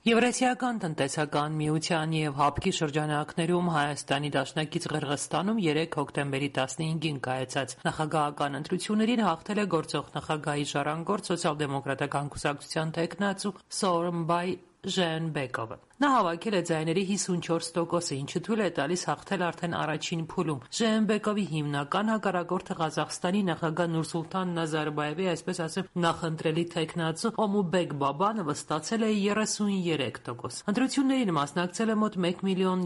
Եվրասիական տնտեսական միության և ՀԱՊԿ-ի շրջանակներում Հայաստանի դաշնակից Ղրղըզստանում 3 հոկտեմբերի 15-ին կայացած նախագահական ընտրություններին հաղթել է գործող նախագահի ժառանգորդ սոցիալ-դեմոկրատական կուսակցության թեկնածու Սոորոնբայ Ժեընբեկովը։ Նա հավաքել է ձայների 54%-ը, ինչը թույլ է տալիս հաղթել արդեն առաջին փուլում։ Ժեընբեկովի հիմնական հակառակորդը Ղազախստանի նախագահ Նուրսուլտան Նազարբաևի, այսպես ասեմ, նախընտրելի թեկնածու Օմուբեկ Բաբանովը ստացել է 33%։ Ընտրություններին մասնակցել է մոտ 1,7 միլիոն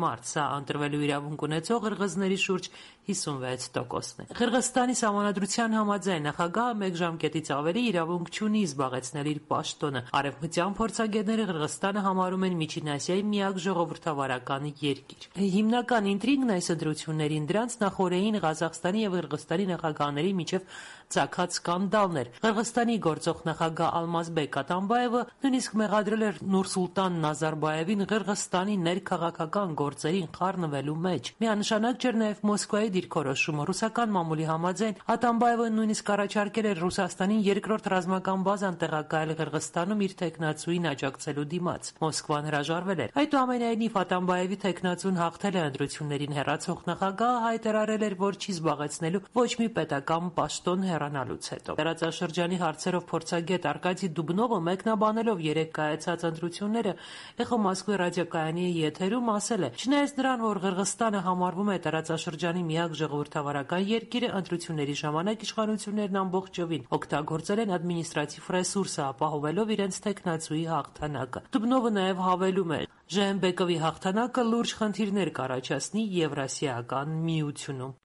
մարդ, սա ընտրվելու իրավունք ունեցող ղրղըզների շուրջ 56%-ն է։ Ղրղըզստանի սահմանադրության համաձայն նախագահը մեկ ժամկետից ավելի իրավունք չունի զբաղեցնել իր պաշտոնը։ Արևմտյան փորձագետները Ղրղըզստանը համարում են Միջին Ասիայի միակ ժողովրդավարական երկիր։ Հիմնական ինտրիգն այս ընտրություններին դրանց նախօրեին Ղազախստանի և Ղրղըզստանի նախագահների միջև ծագած սկանդալն էր։ Ղրղըզստանի գործող նախագահ Ալմազբեկ Աթամբաևը նույնիսկ մեղադրել էր Նուրսուլտան Նազարբաևին Ղրղըզստանի ներքաղաքական գործերին խառնվելու մեջ։ Միանշանակ չէր նաև Մոսկվայի դիրքորոշումը։ Ռուսական մամուլի համաձայն Աթամբաևը նույնիսկ առաջարկել էր Ռուսաստանին երկրորդ ռազմական բազան տեղակայել Ղրղըզստանում իր թեկնածուին աջակցելու դիմաց։ Մոսկվան հրաժարվել էր։ Այդուամենայնիվ Աթամբաևի թեկնածուն հաղթել է ընտրություններին, հեռացող նախագահը հայտարարել էր, որ չի զբաղեցնելու ոչ մի պետական պաշտոն հեռանալուց հետո։ Տարածաշրջանի հարցերով փորձագետ Արկադի Դուբնովը մեկնաբանելով 3 կայացած ընտրությունները Էխո Մոսկվի ռադիոկայանի եթերում ասել է. «Չնայած նրան, որ Ղրղըզստանը համարվում է տարածաշրջանի միակ ժողովրդավարական երկիրը, ընտրությունների ժամանակ իշխանություններն ամբողջովին օգտագործել են ադմինիստրատիվ ռեսուրսը, ապահովելով իրենց թեկնածուի հաղթանակը»։ Դուբնովը նաև հավելում է. «Ժեընբեկովի հաղթանակը լուրջ խնդիրներ կառաջացնի Եվրասիական միությունում»։